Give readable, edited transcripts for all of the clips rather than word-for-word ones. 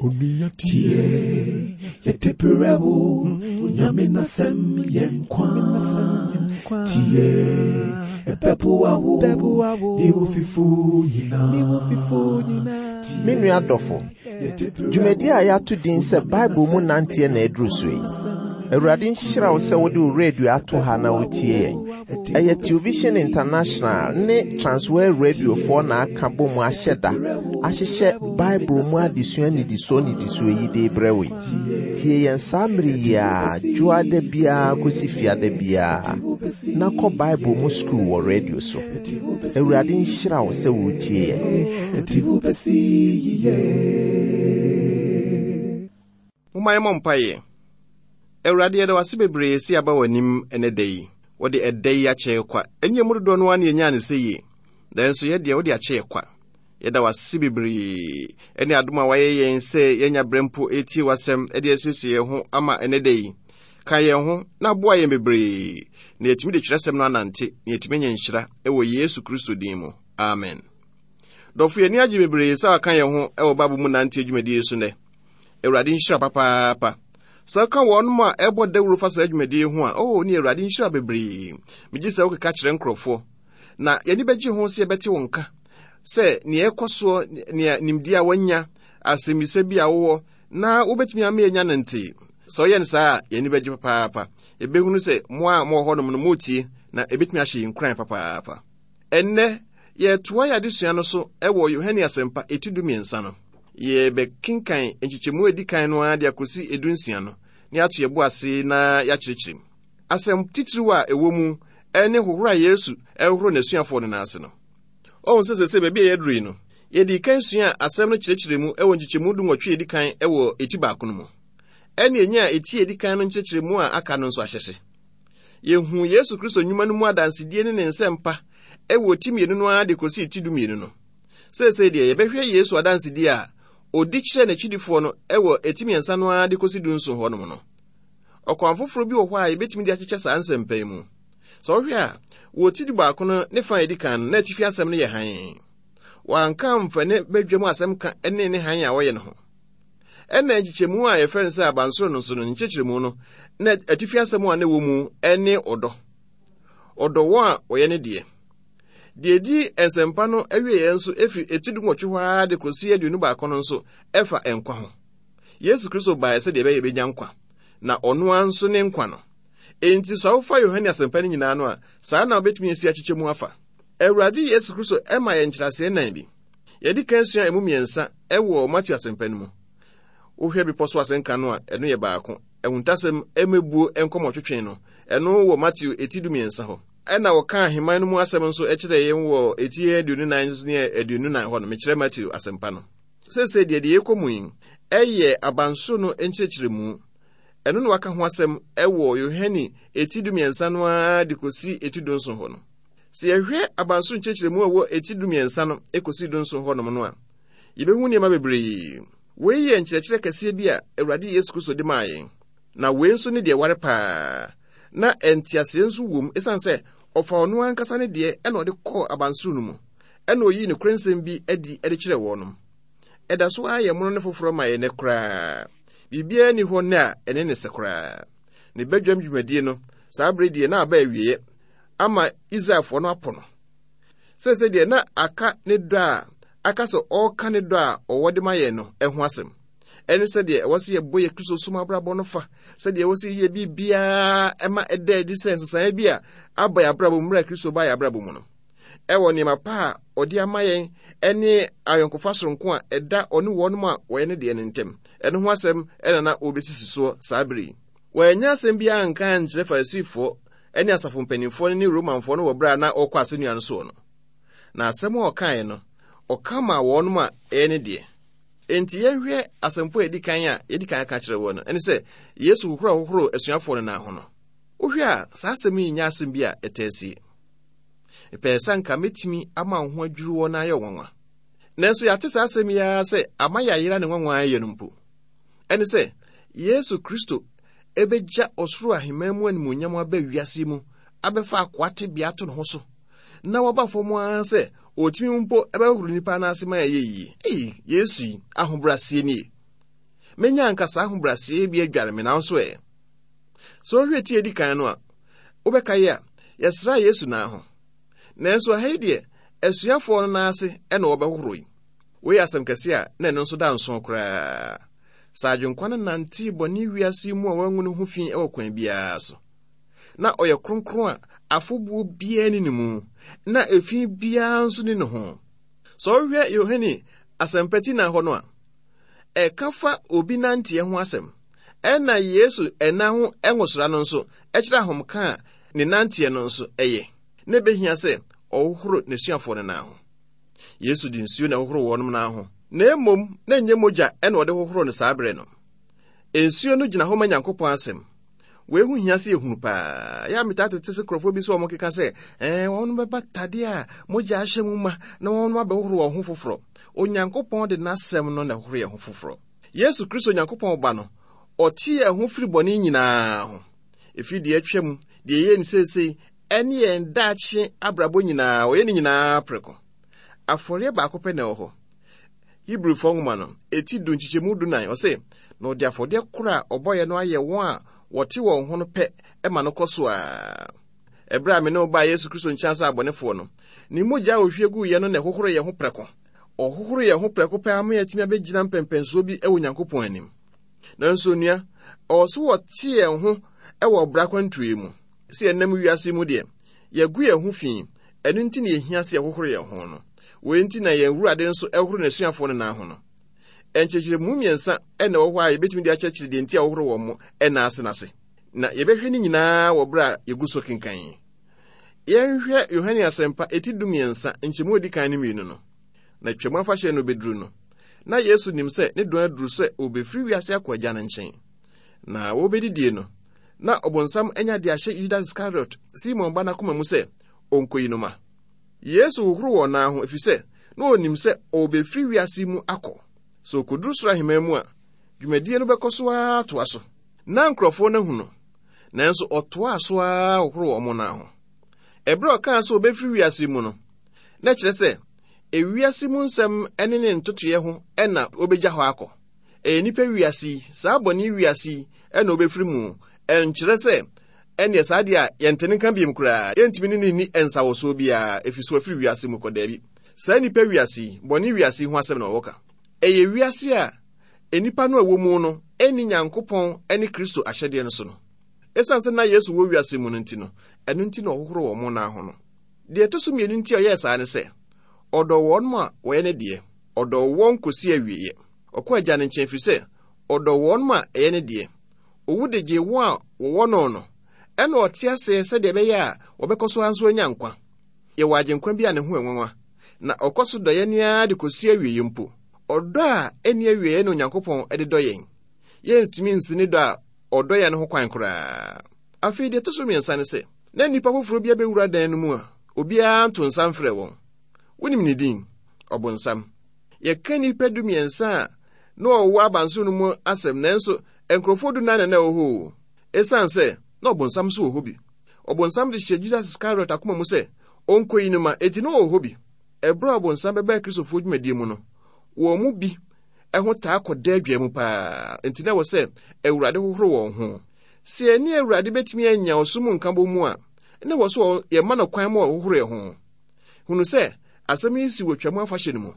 Tie, yɛde brɛ wo, Nyame n'asɛm yɛ nkwa. Tie, ɛbɛboa wo, ne wo fifo nyinaa. Me nua dɔfo, dwumadi a yɛato din sɛ Bible mu nanteɛ na aduru so yi. Awurade nhyira wo sɛ wode wo radio ato ha na wotie yɛn. Ɛyɛ Television International ne Transworld Radiofoɔ na aka bɔ mu ahyɛ da ahyehyɛ Bible mu adesua nnidisoɔ nnidisoɔ yi de rebrɛ wo yi. Tie yɛn saa mmere yi ara dwoada biara kɔsi fiada biara na kɔ Bible mu sukuu wɔ radio so. Awurade nhyira wo sɛ woretie yɛn. Momma yɛmmɔ mpaeɛ. Awurade, yɛda wo ase bebree sɛ yɛaba w'anim ɛnɛ da yi. Wode ɛda yi akyɛ yɛ kwa. Ɛnyɛ mu dodoɔ no ara na yɛnyaa no sɛ yie. Nanso yɛ deɛ wode akyɛ yɛ kwa. Yɛda wo ase bebree ɛne adom a wayɛ yɛn sɛ yɛanya berɛ mpo ɛretie w'asɛm de asiesie yɛn ho ama ɛnɛ da yi. Ka yɛn ho na boa yɛn bebree na yɛatumi de twerɛsɛm no anante na yɛatumi anya nhyira wɔ Yesu Kristo din mu. Amen. Dɔfo, yɛn ani agye bebree sɛ waka yɛn ho wɔ Bible mu nante adwumadie yi so nnɛ. Awurade nhyira papaapa. Sɛ woka wɔnom a ɛbɔ dawuro fa saa dwumadie yi ho a, oh, ne Awurade nhyira bebree. Megye sɛ wokeka kyerɛ nkurɔfoɔ. Na yɛni bɛgye ho sɛ yɛbɛte wo nka sɛ nea ɛkɔ soɔ, nea nimdeɛ a wanya, asɛmmisa bi a wowɔ, na wobɛtumi ama yɛanya no ntee. Sɛ woyɛ no saa a, yɛn ani bɛgye papaapa. Yɛbɛhunu sɛ mo a mowɔ hɔnom no moretie, na ɛbɛtumi ahyɛ yɛn nkuran papaapa. Ɛnnɛ, yɛretoa yɛn adesua no so wɔ Yohane Asɛmpa eti dumiɛnsa no. Yɛbɛkenkan nkyekyɛmu a edi kan no ara de akosi edunsia no, na yɛato yɛn bo ase na yɛakyerɛkyerɛ mu. Asɛm titiriw a ɛwɔ mu ne hohoro a Yesu hohoro n'asuafoɔ no nan ase no. Ɔhu sɛ sɛsɛ baabi a yɛaduru yi no, yɛdii kan suaa asɛm no kyerɛkyerɛ mu wɔ nkyekyɛmu dunwɔtwe a edi kan wɔ eti baako no mu. Ɛne enyaa eti a edi kan no nkyerɛkyerɛmu a aka no nso ahyɛse. Yehuu Yesu Kristo nnwuma no mu adansedie ne ne nsɛmpa wɔ ti mmienu no ara de kosii ti dumienu no. Seesei deɛ yɛbɛhwɛ Yesu adansedie a ɔdi kyerɛɛ n'akyidifoɔ no wɔ eti mmiɛnsa no ara de kɔsi dunson hɔnom no. Ɔkwan foforɔ bi wɔ hɔ a yɛbɛtumi de akyekyɛ saa nsɛmpa yi mu. Sɛ wohwɛ a, wɔ ti dubaako no ne fa a ɛdi kan no, na atifi asɛm no yɛ hann. Wɔanka amfa ne badwam asɛm ka ne ne hann a wɔyɛ no ho. Ɛnna nkyekyɛmu a yɛfrɛ no sɛ abansoro no nso no, ne nkyerɛkyerɛmu no, na atifi asɛm a na ɛwɔ mu ne ɔdɔ. Ɔdɔ wɔn a wɔyɛ ne deɛ. Deɛ ɛdi nsɛmpa no awieeɛ nso ɛfiri eti dunwɔtwe hɔ ara de kɔsi 21 no nso ɛfa nkwa ho. Yesu Kristo baeɛ sɛdeɛ ɛbɛyɛ yɛbɛnya nkwa, na ɔno ara nso ne nkwa no. Enti sɛ wofa Yohane asɛmpa no nyinaa no a, saa na wobɛtumi asi akyekyɛ mu afa. Awurade Yesu Kristo ma yɛn nkyerɛaseɛ nan bi. Yɛadi kan sua emu mmiɛnsa wɔ Mateo asɛmpa no mu. Wohwɛ Bepɔ so asɛnka no a, ɛno yɛ baako. Ahuntasɛm mmebuo nkɔmmɔtwetwe no, ɛno wɔ Mateo eti dumiɛnsa hɔ. Ɛna wɔkaa ahemman no mu asɛm nso kyerɛɛ yɛn wɔ eti 24 ne 24 hɔ no, mekyerɛ Mateo asɛmpa no. Seesei deɛ deɛ yɛkɔ mu yi yɛ abansoro no nkyerɛkyerɛmu. Ɛno na waka ho asɛm wɔ Yohane eti dumiɛnsa no ara de kɔsi eti dunson hɔ no. Sɛ yɛhwɛ abansoro nkyerɛkyerɛmu a ɛwɔ eti dumiɛnsa no kɔsi dunson hɔnom no a, yɛbɛhu nneɛma bebree. Wei yɛ nkyerɛkyerɛ kɛseɛ bi a Awurade Yesu Kristo de maa yɛn. Na wei nso ne deɛ ɛware paa, na nteaseɛ nso wom ɛsiane sɛ ɔfa ɔno ankasa ne deɛ ɛna ɔde kɔɔ abansoro no mu, ɛna ɔyii nokorɛ nsɛm bi adi de kyerɛɛ wɔnom. Ɛda so ara yɛ mono ne foforɔ ma yɛn nnɛ koraa. Biribiara nni hɔ nnɛ a ɛne ne sɛ koraa. Ne badwam dwumadie no, saa bere deɛ na aba awieɛ ama Israelfoɔ no apo no. Seesei deɛ na aka ne dɔ a aka sɛ ɔreka ne dɔ a ɔwɔ de ma yɛn no ho asɛm. Ɛne sɛdeɛ ɛwɔ sɛ yɛbɔ yɛ Kristo som abrabɔ no fa, sɛdeɛ ɛwɔ sɛ yɛyɛ biribiara ɛma ɛda adi sɛ nsesaeɛ bi a aba yɛn abrabɔ mu mmerɛ a Kristo baa yɛn abrabɔ mu no. Ɛwɔ nneɛma pa a ɔde ama yɛn ɛne ayɔnkofa soronko a ɛda ɔne wɔnom a wɔyɛ ne deɛ no ntam. Ɛno ho asɛm ɛna na ɔrebɛsisi soɔ saa bere yi. Wɔannya asɛm biara anka ankyerɛ Farisifoɔ ne asafo mpanimfoɔ no ne Romanfoɔ no wɔ berɛ a na ɔrekɔ asɛnnua no soɔ no. Na asɛm a ɔkaeɛ no, ɔka maa wɔnom a ɛyɛ ne deɛ. Enti yɛnhwɛ asɛmpo a ɛdi kan a yɛdi kan aka kyerɛ wɔ no, ɛne sɛ Yesu hohoro a ɔhohoroo asuafoɔ no nan ho no. Wohwɛ a, saa asɛm yi nyɛ asɛm bi a ɛtaa sie. Mepɛɛ sɛ anka mɛtumi ama wo ho adwiri wɔ na ayɛ nwanwa. Nanso yɛate saa asɛm yi ara sɛ ama yɛayera ne nwanwa ayɛ no mpo. Ɛne sɛ, Yesu Kristo ɛbɛgya ɔsoro ahemman mu animuonyam aba wiase mu abɛfa akoa tebea ato ne ho so na waba fam ara sɛ ɔtumi mpo ɛbɛhohoro nnipa no ase ma ɛyɛ yie. Ei, Yesu yi, ahobrɛaseɛ nie. Menya anka saa ahobrɛaseɛ bi adware me nanso ɛ. Sɛ wohwɛ ti a edi kan no a, wobɛkae a, yɛsraa Yesu nan ho. Nanso ɛha yi deɛ, asuafoɔ no nan ase na wɔbɛhohoro yi. Wei yɛ asɛm kɛse a na ɛno nso da nson koraa. Sɛ Agyenkwa no nantee bɔne wiase yi mu a wangu ne ho fi wɔ kwan biara so. Na ɔyɛ kronkron a afobuo biara nni ne mu, na efi biara nso nni ne ho. Sɛ wohwɛ Yohane Asɛmpa ti na hɔ no a, ɛka fa obi nanteɛ ho asɛm. Ɛna Yesu ɛna ho nwosra no nso kyerɛ ahomka a ne nanteɛ no nso yɛ. Na ebehia sɛ ɔhohoro n'asuafoɔ no nan ho. Yesu de nsuo na ɛhohoro wɔnom nan ho, na mmom na ɛnyɛ mogya na ɔde hohoro no saa berɛ no. Nsuo no gyina hɔ ma Nyankopɔn asɛm. Wei ho hia sɛ yɛhunu paa. Yɛ a metaa tete sɛ nkurɔfoɔ bi sɛ wɔn keka sɛ, ɛɛ wɔn bɛba tadeɛ a mogya ahyɛ mu ma na wɔn abɛhohoro wɔn ho foforɔ. Onyankopɔn de n'asɛm no na ɛhohoro yɛn ho foforɔ. Yesu Kristo Onyankopɔn Ba no, ɔte yɛn ho firi bɔne nyinaa ho. Ɛfiri deɛ atwa mu, deɛ yɛyɛ no seesei, ɛne yɛn daakye abrabɔ nyinaa, ɔyɛ ne nyinaa prɛko. Afɔreɛ baako pɛ na ɛwɔ hɔ. Hebrifoɔ nwoma no, ɛti du nkyekyɛmu dunan, ɔse, na ɔde afɔdeɛ koro a ɔbɔeɛ no ayɛ wɔn a wɔte wɔn ho no pɛ ma no kɔ so a. Ɛberɛ a me ne wo baa Yesu Kristo nkyɛn sɛ abɔnefoɔ no, ne mogya a ɔhwie guiɛ no na ɛhohoro yɛn ho prɛko. Ɔhohoro yɛn ho prɛko pɛ ama yɛatumi abɛgyina mpɛmpɛnsoɔ bi wɔ Onyankopɔn anim. Nanso onua, ɔwɔ so wɔte yɛn ho wɔ ɔbra kwantuo yi mu. Sɛ yɛnam wiase mu deɛ, yɛagu yɛn ho fi, ɛno nti na yɛhia sɛ yɛhohoro yɛn ho no. Wei nti na yɛn Awurade nso hohoro n'asuafoɔ no nan ho no. Nkyerɛkyerɛmu mmiɛnsa na ɛwɔ hɔ a yɛbɛtumi de akyerɛkyerɛ deɛ nti a wɔhoro wɔn mo nan ase no ase. Na yɛbɛhwɛ ne nyinaa wɔ berɛ a yɛgu so kenkan yi. Yɛnhwɛ Yohane Asɛmpa eti 13 nkyɛmu a edi kan ne mmienu no. Na Twam afahyɛ no beduru no, na Yesu nim sɛ ne dɔn aduru sɛ obefiri wiase akɔ Agya no nkyɛn. Na wɔrebedidie no, na ɔbonsam anya de ahyɛ Yudas Iskariot, Simon ba no akoma mu sɛ onkoyi no ma. Yesu hohoro wɔn nan ho efisɛ na onim sɛ ɔrebefiri wiase mu akɔ. Sɛ okoduru soro ahemman mu a, dwumadie no bɛkɔ so ara atoa so. Ná nkurɔfoɔ no ahu no, nanso ɔtoaa so ara hohoroo wɔn nan ho. Ɛberɛ a ɔkaa sɛ ɔbɛfiri wiase mu no, na ɛkyerɛ sɛ ewiase mu nsɛm ne ne ntotoeɛ ho na ɔbɛgya hɔ akɔ. Ɛyɛ nnipa wiase yi, saa bɔne wiase yi na ɔbɛfiri mu. Ɛnkyerɛ sɛ ɛnneɛ saa deɛ a yɛnte ne nka biom koraa, yɛntumi ne no nni nsawɔsoɔ biara, ɛfiri sɛ wafiri wiase mu kɔ. Daabi. Saa nnipa wiase yi, bɔne wiase yi ho asɛm na wɔka. Ɛyɛ wiase a nnipa no a ɛwɔ mu no nni Nyankopɔn ne Kristo ahyɛdeɛ no so no. Esiane sɛ na Yesu wɔ wiase mu no nti no, ɛno nti na ɔhohoro wɔn nan ho no. Deɛ ɛtɔ so mmienu nti a ɔyɛɛ saa ne sɛ, ɔdɔ wɔn a wɔyɛ ne deɛ. Ɔdɔ wɔn kɔsi awieeɛ. Ɔkɔ Agya no nkyɛn ɛfiri sɛ ɔdɔ wɔn a ɛyɛ ne deɛ. Owu de gyee wɔn a wɔwɔ no no, ɛna ɔte aseɛ sɛdeɛ ɛbɛyɛ a wɔbɛkɔ so ara nso anya nkwa. Yɛwɔ Agyenkwa bi a ne ho yɛ nwanwa, na ɔkɔ so dɔ yɛn ara de kɔsi awieeɛ mpo. Ɔdɔ a ɛnni awieeɛ na Onyankopɔn de dɔ yɛn. Yɛrentumi nsi ne dɔ a ɔdɔ yɛn no ho kwan koraa. Afei deɛ ɛtɔ so mmiɛnsa ne sɛ, na nnipa foforɔ bi abɛwura dan no mu a obiara nto nsa mfrɛ wɔn. Wonim ne din? Ɔbonsam. Yɛka nnipa 13 a na wɔwɔ abansoro no mu asɛm, nanso nkurɔfoɔ dunan na na ɛwɔ hɔ o. Esiane sɛ na ɔbonsam nso wɔ hɔ bi. Ɔbonsam de hyɛɛ Judas Iskariot akoma mu sɛ ɔnkɔyi no ma, enti na ɔwɔ hɔ bi. Ɛberɛ a ɔbonsam bɛbaa Kristofoɔ dwumadie mu no, wɔn mu bi ho taa kɔda adwa mu paa, enti na ɛwɔ sɛ Awurade hohoro wɔn ho. Sɛ yɛne Awurade bɛtumi anya ɔsom mu nkabom mu a, na ɛwɔ sɛ yɛma no kwan ma ɔhohoro yɛn ho. Hunu sɛ asɛm yi si wɔ Twam afahyɛ no mu.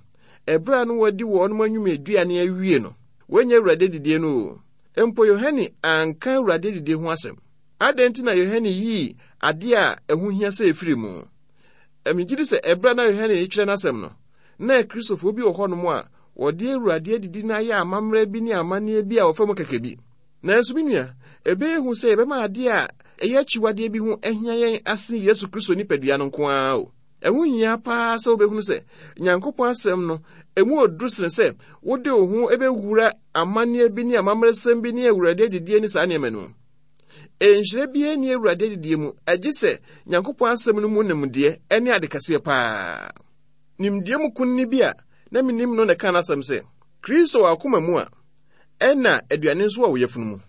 Ɛberɛ a na wɔadi wɔn anwummeduane awie no, wɔanya Awurade adidie no o. Mpo Yohane anka Awurade adidie ho asɛm. Adɛn nti na Yohane yii adeɛ a ɛho hia sɛ ɛfiri mu? Megye di sɛ ɛberɛ a na Yohane retwerɛ n'asɛm no, na Akristofoɔ bi wɔ hɔnom a wɔde Awurade adidi no ayɛ amammerɛ bi ne amanneɛ bi a wɔfa mu kɛkɛ bi. Nanso me nua, ɛbɛyɛ hu sɛ yɛbɛma adeɛ a ɛyɛ akyiwadeɛ bi ho ahia yɛn asene Yesu Kristo nipadua no nko ara o. Ɛho hia paa sɛ wobɛhunu sɛ Nyankopɔn asɛm no, ɛmu ɔduru sene sɛ wode wo ho bɛwura amanneɛ bi ne amammerɛsɛm bi ne Awurade adidie ne saa nneɛma no mu. Nhyira biara nni Awurade adidie mu, agye sɛ Nyankopɔn asɛm no mu nimdeɛ ne ade kɛseɛ paa. Nimdeɛ mu kunini bi a na menim no na ɛkaa n'asɛm sɛ, Kristo wɔ akoma mu a, ɛna aduane nso wɔ wo yafunu mu.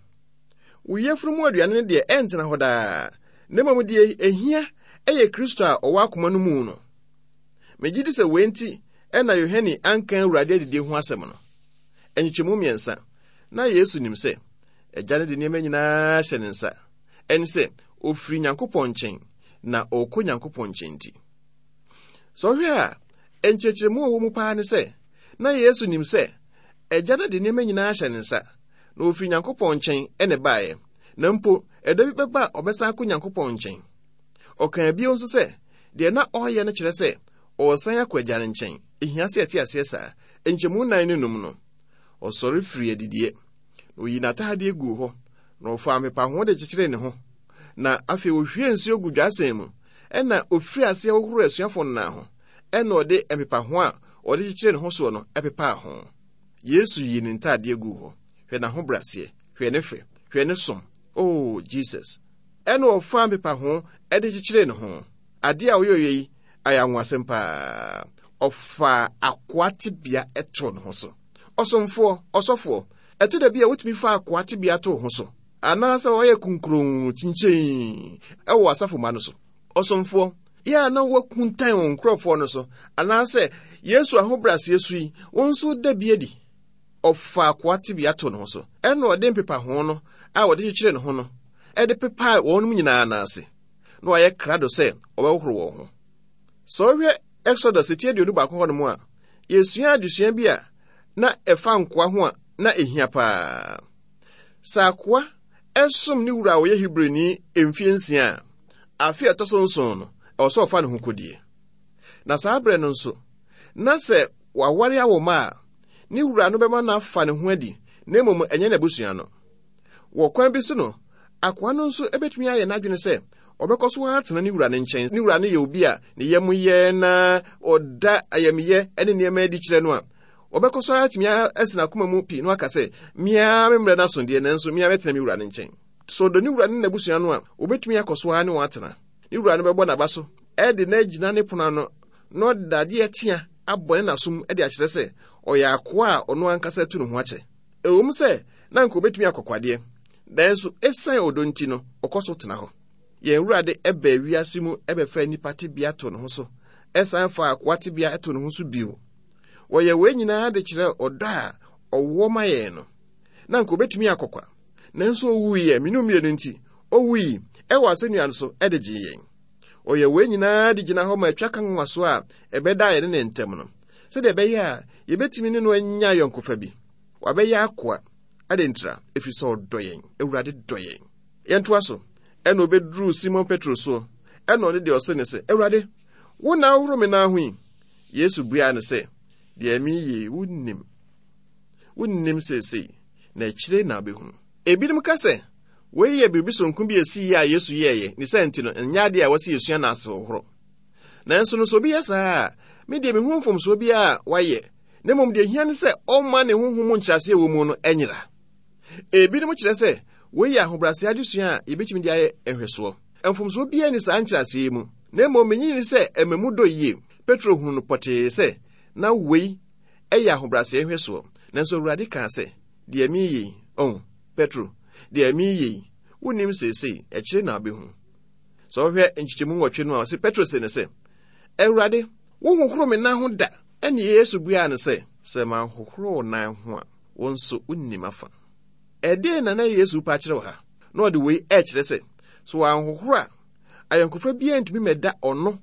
Wo yafunu mu aduane no deɛ ɛntena hɔ daa, na mmom deɛ ɛhia yɛ Kristo a ɔwɔ akoma no mu no. Megye di sɛ wei nti na Yohane anka Awurade adidie ho asɛm no. Nkyekyɛmu mmiɛnsa. Na Yesu nim sɛ Agya no de nneɛma nyinaa hyɛ ne nsa. Ɛne sɛ, ofiri Nyankopɔn nkyɛn, na ɔrekɔ Nyankopɔn nkyɛn nti. Sɛ ɔhwɛ a, nkyerɛkyerɛmu a ɔwɔ mu paa ne sɛ, na Yesu nim sɛ Agya no de nneɛma nyinaa hyɛ ne nsa, na ofiri Nyankopɔn nkyɛn na ɛbaeɛ, na mpo ɛda bi bɛba a ɔbɛsan akɔ Nyankopɔn nkyɛn. Ɔkaa bio nso sɛ, deɛ na ɔreyɛ no kyerɛ sɛ ɔresan akɔ Agya no nkyɛn. Ehia sɛ yɛte aseɛ saa. Nkyɛmu nnan ne num no, ɔsɔre firii adidiɛ, na ɔyii n'atadeɛ guu hɔ, na ɔfaa mpepaho de kyekyeree ne ho, na afei ɔhwiee nsuo gu dwasɛn mu, ɛnna ɔfirii aseɛ hohoroo asuafoɔ no nan ho, ɛnna ɔde mpepaho a ɔde kyekyeree ne ho soɔ no pepaa ho. Yesu yii ne ntadeɛ guu hɔ. Hwɛ n'ahobrɛaseɛ, hwɛ ne fɛ, hwɛ ne som. Oh, Jesus. Ɛnna ɔfaa mpepaho de kyekyeree ne ho. Adeɛ a ɔyɔeɛ yi ayɛ anwonwasɛm paa. Ɔfaa akoa tebea too ne ho so. Ɔsomfoɔ, ɔsɔfoɔ, ɛtɔ da bi a wotumi fa akoa tebea to wo ho so, anaasɛ wɔyɛ kunkuronn kyinkyin wɔ w'asafo mma no so. Ɔsomfoɔ, yɛ a na woakuntan wo nkurɔfoɔ no so, anaasɛ Yesu ahobrɛaseɛ su yi, wo nso da bi adi. Ɔfaa akoa tebea too ne ho so, ɛnna ɔde mpepaho no a wɔde kyekyere ne ho no de pepaa wɔn nyinaa nan ase, na wayɛ krado sɛ ɔbɛhohoro wɔn ho. Sɛ wohwɛ Exodus ti 21 hɔnom a, yesua adesua bi a na ɛfa nkoa ho a na ehia paa. Sɛ akoa som ne wura a ɔyɛ Hebrini mfe nsia a, afe a ɛtɔ so nson no, ɛwɔ sɛ ɔfa ne ho kodie. Na saa berɛ no nso, na sɛ waware awo mma a, ne wura no bɛma no afa ne ho adi, na mmom ɛnyɛ n'abusua no. Wɔ kwan bi so no, akoa no nso betumi ayɛ n'adwene sɛ ɔbɛkɔ so ara atena ne wura no nkyɛn. Ne wura no yɛ obi a ne yam yɛ na ɔda ayamyɛ ne nneɛma adi kyerɛ no a, ɔbɛkɔ so ara atumi asi n'akoma mu pi na waka sɛ, Me ara me mmerɛ no aso deɛ, nanso me ara mɛtena me wura no nkyɛn. Sɛ ɔdɔ ne wura ne n'abusua no a, obetumi akɔ so ara ne wɔn atena. Ne wura no bɛbɔ n'aba so de no agyina ne pono ano na ɔde dadeɛ tea abɔ ne n'asom de akyerɛ sɛ ɔyɛ akoa a ɔno ankasa atu ne ho akyɛ. Ɛwom sɛ na anka obetumi akɔ kwadeɛ, nanso esiane ɔdɔ nti no, ɔkɔ so tena hɔ. Yɛn Awurade baa wiase mu bɛfaa nnipa tebea too ne ho so, san faa akoa tebea too ne ho so bio. Wɔyɛ wei nyinaa de kyerɛ ɔdɔ a ɔwɔ ma yɛn no. Na anka obetumi akɔ kwa, nanso owuiɛ, me ne mmienu nti, owui wɔ asɛnnua no so de gyee yɛn. Ɔyɛ wei nyinaa de gyina hɔ ma atwa ka nwanwaso a ɛbɛdaa yɛne ne ntam no, sɛdeɛ ɛbɛyɛ a yɛbɛtumi ne no anya ayɔnkofa bi. Wabɛyɛ akoa. Adɛn ntira? Ɛfiri sɛ ɔdɔ yɛn. Awurade dɔ yɛn. Yɛntoa so. Ɛna ɔbɛduruu Simon Petro soɔ, ɛna ɔno deɛ ɔse ne sɛ, Awurade, wo na wohoro me nan ho yi? Yesu buaa no sɛ, Deɛ mereyɛ yi, wonnim. Wonnim seesei, na akyire na wobɛhunu. Ebinom ka sɛ, wei yɛ biribi soronko bi a ɛsii a Yesu yɛeɛ, ne saa nti no, ɛnyɛ adeɛ a ɛwɔ sɛ yɛsua no asehohoro. Nanso no, sɛ obi yɛ saa a, me deɛ mehu mfomsoɔ biara a wayɛ, na mmom deɛ ehia ne sɛ ɔmma ne honhom mu nkyerɛaseɛ wɔ mu no nyera. Ebinom kyerɛ sɛ wei yɛ ahobrɛaseɛ adesua a yɛbɛtumi de ayɛ nhwɛsoɔ. Mfomsoɔ biara nni saa nkyerɛaseɛ yi mu, na mmom menye nni sɛ ɛma mu dɔ yie. Petro hunu no pɔtee sɛ na wei yɛ ahobrɛaseɛ nhwɛsoɔ, nanso Awurade kaa sɛ, Deɛ mereyɛ yi, oh, Petro, deɛ mereyɛ yi, wonnim seesei, akyire na wobɛhu. Sɛ wohwɛ nkyekyɛmu nwɔtwe no a, ɔse Petro se no sɛ, Awurade, wohohoro me nan ho da. Ɛnne Yesu buaa no sɛ, Sɛ manhohoro wo nan ho a, wo nso wunni m'afa. Ɛdeɛn na na Yesu repɛ akyerɛ wɔ ha? Na ɔde wei rekyerɛ sɛ, sɛ wanhohoro a, ayɔnkofa biara ntumi mmɛda ɔno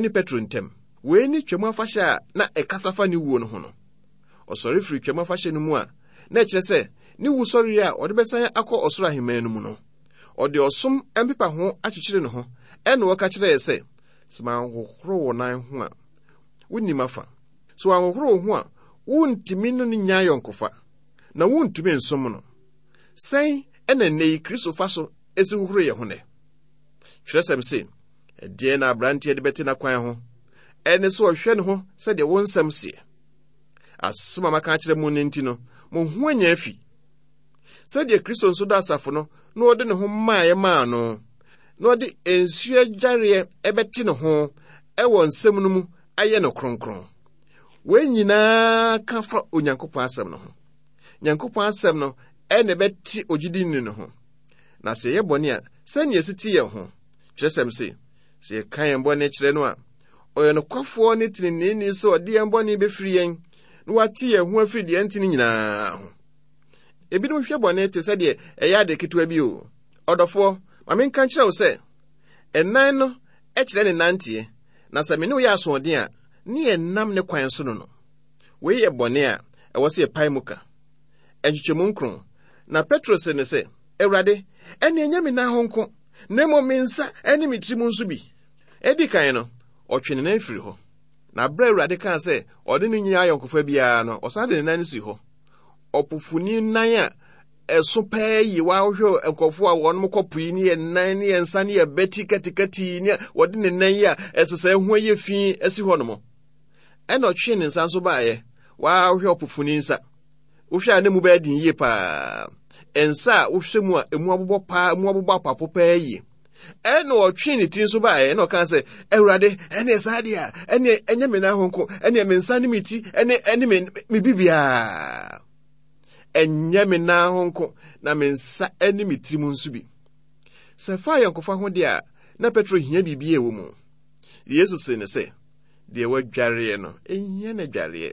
ne Petro ntam. Wei ne Twam Afahyɛ a na ɛkasa fa ne wuo no ho no. Ɔsɔre firii Twam Afahyɛ no mu a, na ɛkyerɛ sɛ ne wusɔreɛ a ɔde bɛsan akɔ ɔsoro ahemman no mu no, ɔde ɔsom mpepaho akyekyere ne ho, ɛnna ɔka kyerɛɛ sɛ, Sɛ manhohoro wo nan ho a, wonni m'afa. Sɛ wanhohoro wo ho a, wontumi ne no nnya ayɔnkofa, na wontumi nsom no. Sɛn na nnɛyi Kristo fa so si hohoro yɛn ho nnɛ? Twerɛsɛm se, Ɛdeɛn na aberanteɛ de bɛte n'akwan ho? Ɛne sɛ ɔhwɛ ne ho sɛdeɛ wo nsɛm seɛ. Asɛm a maka akyerɛ mo no nti no, mo ho anya afi. Sɛdeɛ Kristo nso dɔ asafo no na ɔde ne ho maeɛ maa no, na ɔde nsuo adwareɛ bɛte ne ho wɔ nsɛm no mu ayɛ no kronkron. Wei nyinaa ka fa Onyankopɔn asɛm no ho. Nyankopɔn asɛm no ɛna ɛbɛte ogyidini no ho. Na sɛ yɛyɛ bɔne a, sɛnea ɛsi te yɛn ho. Kyerɛsɛm se, sɛ yɛka yɛn bɔne kyerɛ no a, ɔyɛ nokwafoɔ ne teneneeni sɛ ɔde yɛn bɔne bɛfiri yɛn na wate yɛn ho afiri deɛ ɛntene nyinaa ho. Ebinom hwɛ bɔne te sɛ deɛ ɛyɛ ade ketewa bi o. Ɔdɔfoɔ, ma menka nkyerɛ wo sɛ, ɛnan no kyerɛ ne nanteɛ, na sɛ me ne wo yɛ asoɔden a, ne yɛnnam ne kwan so no no. Wei yɛ bɔne a ɛwɔ sɛ yɛpae mu ka. Nkyekyɛmu nkron, Na Petro see no sɛ, Awurade, ɛnne ɛnyɛ me nan ho nko, na mmom me nsa ne me tirim nso bi. Edi kan no, ɔtwe ne nan firi hɔ. Na bere a Awurade kaa sɛ ɔne no nni ayɔnkofa biara no, ɔsan de ne nan no si hɔ. Ɔpofoni nan a ɛso pɛɛ yi woahwɛ nkurɔfoɔ a wɔn kɔ po yi ne yɛ nan ne yɛ nsa ne yɛ bɛti katikati ne wɔde ne nan yi a ɛsɛ sɛ ɛho ayɛ fi asi hɔ nom. Ɛna ɔtwee ne nsa nso baeɛ. Woahwɛ ɔpofoni nsa. Wohwɛ a ne mu bɛyɛ den yie paa. Nsa a wohwɛ mu a emu abobɔ paa, emu abobɔ apapo paa yie. Ɛna ɔtwee ne ti nso baeɛ ɛna ɔkaa sɛ, Awurade, ɛne saa deɛ a, ɛne ɛnyɛ me nan ho nko, ɛne me nsa ne me ti, ɛne ɛne me me bibiara. Ɛnyɛ me nan ho nko, na me nsa ne me tirim nso bi. Sɛ fa ayɔnkofa ho deɛ a, na Petro hia biribi a ɛwɔ mu. Yesu see no sɛ, Deɛ wadwareɛ no, ɛnhia no adwareɛ.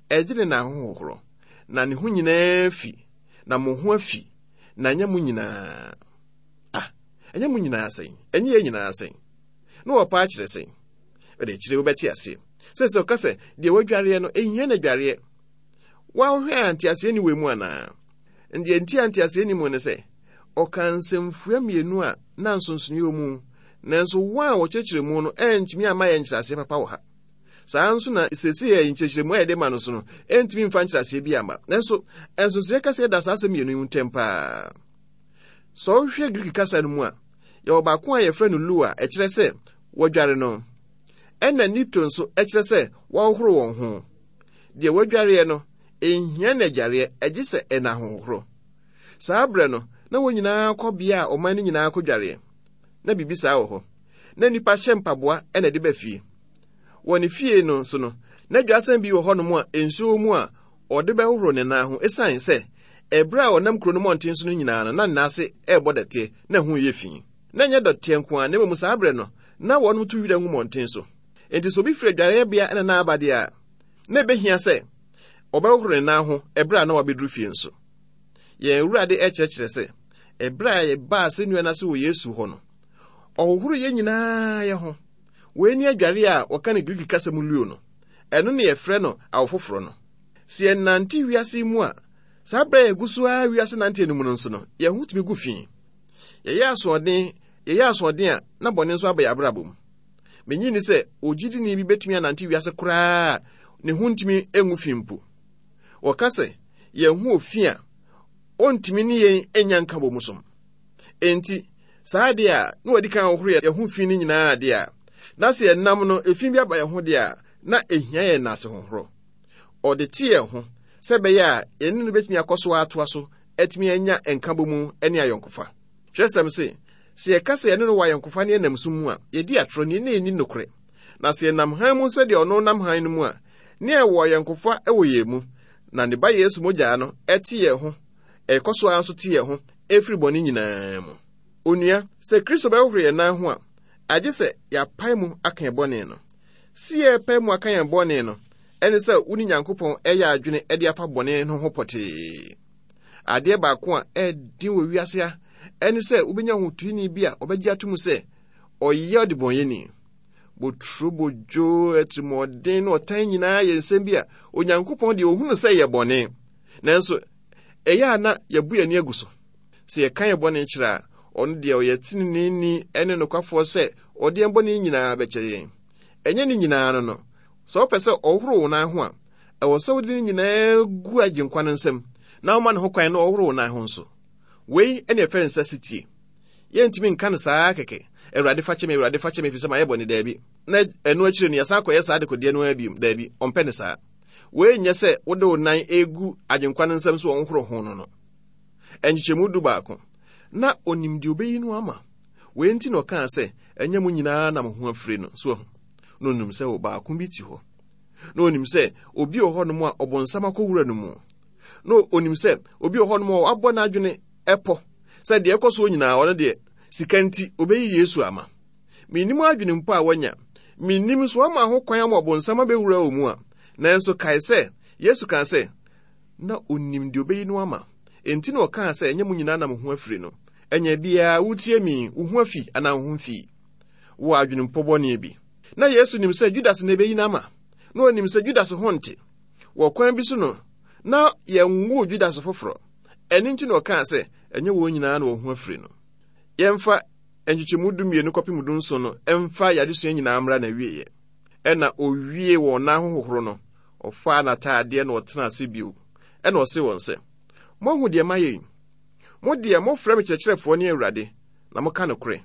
Ɛgye ne nan ho hohoro, na ne ho nyinaa fi, na mo ho afi, na ɛnyɛ mo nyinaa. Ah, ɛnyɛ mo nyinaa sɛn? Ɛnyɛ yɛn nyinaa sɛn? Na wɔpa akyerɛ sɛn? Ɛde akyire wobɛte aseɛ. Sɛ sɛ ɔka sɛ deɛ wadwareɛ no, ɛhia no adwareɛ. Woahwɛ a nteaseɛ ni wɔ mu anaa? Deɛ nti a nteaseɛ ni mu ne sɛ, ɔka nsɛmfua mmienu a na nsonsonoeɛ wɔ mu, nanso wɔn a wɔkyerɛkyerɛ mu no antumi amma yɛn nkyerɛaseɛ papa wɔ ha. Saa ara nso na seesei a nkyerɛkyerɛmu a yɛde ma no so no ntumi mfa nkyerɛaseɛ bi amma. Nanso, nsonsonoeɛ kɛseɛ da saa asɛm mmienu yi ntam paa. Sɛ wohwɛ Greek kasa no mu a, yɛwɔ baako a yɛfrɛ no lu a ɛkyerɛ sɛ wɔdware no, ɛna nipto nso ɛkyerɛ sɛ wɔhohoro wɔn ho. Deɛ wɔadwareɛ no, ɛnhia no adwareɛ, ɛgye sɛ ɛna ahohohoro. Saa berɛ no, na wɔn nyinaa kɔ bea a ɔman no nyinaa kɔdwareɛ. Na biribi saa wɔ hɔ. Na nnipa hyɛ mpaboa na ɛde ba fie. Wɔ ne fie no so no, na dwasɛn bi wɔ hɔnom a nsuo wɔ mu a ɔde bɛhohoro ne nan ho esiane sɛ ɛberɛ a ɔnam kuro no mmɔnten so no nyinaa no na ne nan ase rebɔ dɛteɛ na ɛho reyɛ fi. Na ɛnyɛ dɔteɛ nko ara na mmom saa berɛ no na wɔnom to wira ngu mmɔnten so. Enti sɛ obi firi adwareɛbea na na aba deɛ a, na ɛbɛhia sɛ ɔbɛhohoro ne nan ho ɛberɛ a na wabɛduru fie nso. Yɛn Awurade rekyerɛkyerɛ sɛ ɛberɛ a yɛbaa asɛnnua no ase wɔ Yesu hɔ no, ɔhohoro yɛn nyinaa yɛ ho. Wei ne adware a wɔka no Greek kasa mu luo no. Ɛno ne yɛfrɛ no awo foforɔ no. Sɛ yɛnante wiase yi mu a, saa berɛ a yɛgu so ara wiase nanteɛ no mu no nso no, yɛn ho tumi gu fi. Yɛyɛ asoɔden, yɛyɛ asoɔden a, na bɔne nso aba yɛn abrabɔ mu. Menye nni sɛ ogyidini bi betumi anante wiase koraa a ne ho ntumi ngu fi mpo. Wɔka sɛ yɛn ho wɔ fi a, ontumi ne yɛn nnya nkabom som. Enti, saa ade a na wɔadi kan ahohoro yɛn ho fi no nyinaa ade a, na sɛ yɛnam no efi bi aba yɛn ho de a, na ehia yɛn nnaase hohoro. Ɔde te yɛn ho sɛ ɛbɛyɛ a yɛne no betumi akɔ so atoa so atumi anya nkabom ne ayɔnkofa. Kyerɛwsɛm se, sɛ yɛka sɛ yɛne no wɔ ayɔnkofa ne yɛnam sum mu a, yedi atoro ne na yenni nokorɛ. Na sɛ yɛnam hann mu sɛdeɛ ɔno nam hann no mu a, ne yɛwɔ ayɔnkofa wɔ yɛn mu, na ne Ba Yesu mogya no te yɛn ho, ɛkɔ so ara nso te yɛn ho firi bɔne nyinaa mu. Onua, sɛ Kristo bɛhohoro yɛn nan ho a, agye sɛ yɛapae mu aka yɛn bɔne no. Se yɛrepae mu aka yɛn bɔne no, ɛne sɛ wo ne Nyankopɔn ɛyɛ adwene de afa bɔne no ho pɔtee. Adeɛ baako a ɛden wɔ wiase ha ɛne sɛ wobɛnya hotoeni bi a ɔbɛgye ato mu sɛ ɔyɛ ɔdebɔnyɛni. Boturo, bodwo, atirimuɔden ne ɔtan nyinaa yɛ nsɛm bi a Onyankopɔn deɛ ɔhunu sɛ yɛ bɔne. Nanso ɛyɛ a na yɛbu yɛn ani agu so. Sɛ yɛka yɛn bɔne kyerɛ a, ɔno deɛ ɔyɛ teneneeni ne nokwafoɔ sɛ ɔde yɛn bɔne nyinaa bɛkyɛ yɛn. Ɛnyɛ ne nyinaa no no. Sɛ wopɛ sɛ ɔhohoro wo nan ho a, ɛwɔ sɛ wode ne nyinaa gu Agyenkwa no nsam na woma ne ho kwan na ɔhohoro wo nan ho nso. Wei ne ɛfɛ nsa sitie. Yɛntumi nka no saa kɛkɛ, Awurade fa kyɛ me, Awurade fa kyɛ me, ɛfiri sɛ mayɛ bɔne. Daabi. Na ɛno akyire no yɛsan kɔyɛ saa dekodeɛ no ara bio. Daabi, ɔmpɛ ne saa. Wei nyɛ sɛ wode wo nan egu Agyenkwa no nsam so ɔnhoro ho no no. Nkyekyɛmu 11. Na onim deɛ obeyi no ama. Wei nti na ɔkaa sɛ, ɛnyɛ mo nyinaa na mo ho afiri no. So ahu? Na onim sɛ ɔbaako bi te hɔ. Na onim sɛ obi wɔ hɔnom a ɔbonsam akɔwura no mu. Na onim sɛ obi wɔ hɔnom a wabɔ n'adwene ɛpɔ sɛ deɛ ɛkɔ soɔ nyinaa ɔno deɛ sika nti obeyi Yesu ama. Mennim adwene mpo a wanya. Mennim nso wama ho kwan ama ɔbonsam abɛwura wɔ mu a. Nanso kae sɛ, Yesu kaa sɛ, na onim deɛ obeyi no ama. Enti na ɔkaa sɛ ɛnyɛ mo nyinaa na mo ho afiri no. Ɛnyɛ biara wotie mi, wo ho afi anaa wo ho mfii. Wɔ adwenempɔ bɔne bi. Na Yesu nim sɛ Judas na ebeyi no ama. Na onim sɛ Judas ho nte. Wɔ kwan bi so no, na yɛnwoo Judas foforɔ. Ɛno nti na ɔkaa sɛ ɛnyɛ wɔn nyinaa na wɔn ho afiri no. Yɛmfa nkyekyɛmu 12 kɔpem 17 no mfa yɛn adesua nyinaa mmra n'awieeɛ. Ɛna owie wɔn nan ho hohoro no, ɔfaa n'ataadeɛ na ɔtenaa ase bio. Ɛna ɔse wɔn sɛ, Moahu deɛ mayɛ yi? Mo deɛ mofrɛ me kyerɛkyerɛfoɔ ne Awurade, na moka nokorɛ.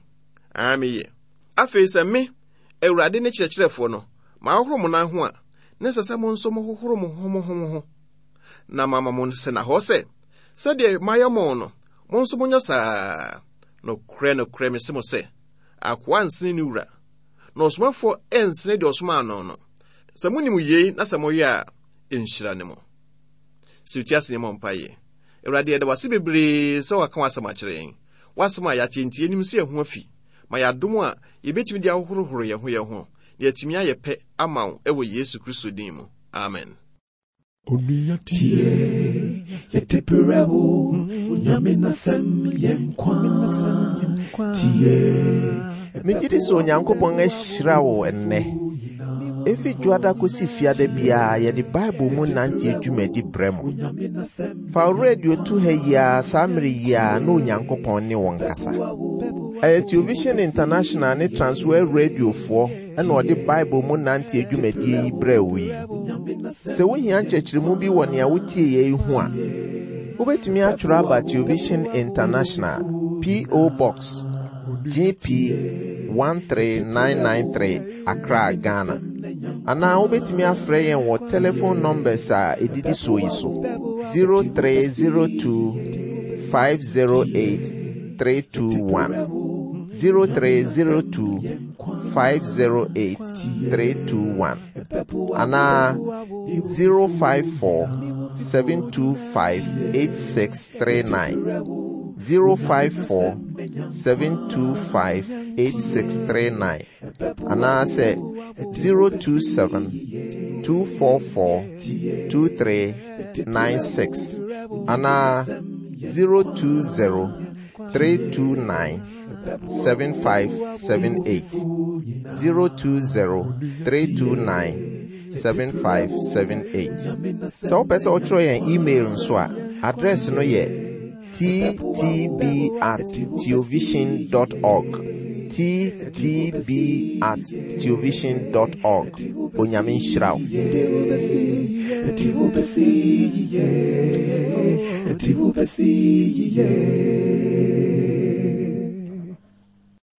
Aa meyɛ. Afei sɛ me, Awurade ne kyerɛkyerɛfoɔ no, mahohoro mo nan ho a, na ɛsɛ sɛ mo nso mohohoro mo ho mo ho mo ho. Na mama mo sɛnahɔ sɛ, sɛdeɛ mayɛ mo no, mo nso monyɛ saa. Nokorɛ, nokorɛ, mese mo sɛ, akoa nsene ne wura, na ɔsomafoɔ nsene deɛ ɔsomaa no no. Sɛ monim yei na sɛ moyɛ a, nhyira ne mo. Sɛ wotie ase ne mmɔ mpaeɛ. Awurade, yɛda wase bebree sɛ waka w'asɛm akyerɛ yɛn. W'asɛm a yɛate nti, yɛnim sɛ yɛn ho afi. Ma yɛ adom a yɛbɛtumi de ahohorohoro yɛn ho yɛn ho, na yɛatumi ayɛ pɛ ama wo wɔ Yesu Kristo din mu. Amen. Onua tie, yɛde brɛ wo, Onyame n'asɛm yɛ nkwa. Tie. Megye di sɛ Onyankopɔn ahyira wo ɛnnɛ. Efi Dwoada kosi Fiada biara yɛde Bible mu nante dwumadi brɛ mo. Fa wo radio to ha yi ara saa mmere yi ara na Onyankopɔn ne wo nkasa. Ɛyɛ Television International ne Transworld Radiofoɔ na ɔde Bible mu nante dwumadie yi brɛɛ wo yi. Sɛ wohia nkyerɛkyerɛmu bi wɔ nea wotie yi ho a, wobɛtumi atwerɛ aba Television International, P.O. Box, GP 13993, Accra, Ghana. Anaa wobɛtumi afrɛ yɛn wɔ telephone numbers a ɛdidi soɔ yi so 0302 508 321 0302 508 321 anaa 054 725 8639 054 725 8639 anaasɛ 027 244 2396 anaa 020 329 7578 020 329 7578. Sɛ wopɛ sɛ wotwerɛ yɛn email nso a, address no yɛ ttb at theovision dot org ttb at theovision dot org. Onyame nhyira wo.